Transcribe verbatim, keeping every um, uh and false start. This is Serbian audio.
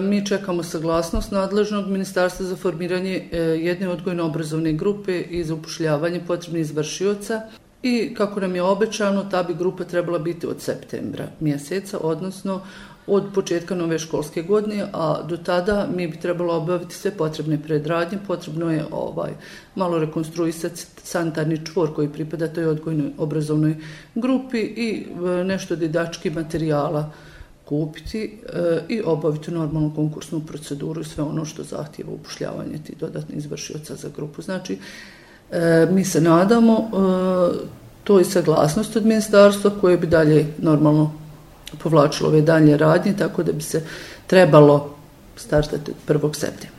mi čekamo saglasnost nadležnog ministarstva za formiranje jedne odgojno-obrazovne grupe i za upošljavanje potrebnih izvršioca. I kako nam je obećano, ta bi grupa trebala biti od septembra mjeseca, odnosno od početka nove školske godine, a do tada mi bi trebalo obaviti sve potrebne predradnje. Potrebno je ovaj, malo rekonstruisati sanitarni čvor koji pripada toj odgojnoj obrazovnoj grupi i nešto didaktičkih materijala kupiti e, i obaviti normalnu konkursnu proceduru i sve ono što zahtijeva upošljavanje tih dodatnih izvršioca za grupu. Znači, e, mi se nadamo e, to je saglasnost od ministarstva koje bi dalje normalno povlačilo ove dalje radnje, tako da bi se trebalo startati od prvog septembra.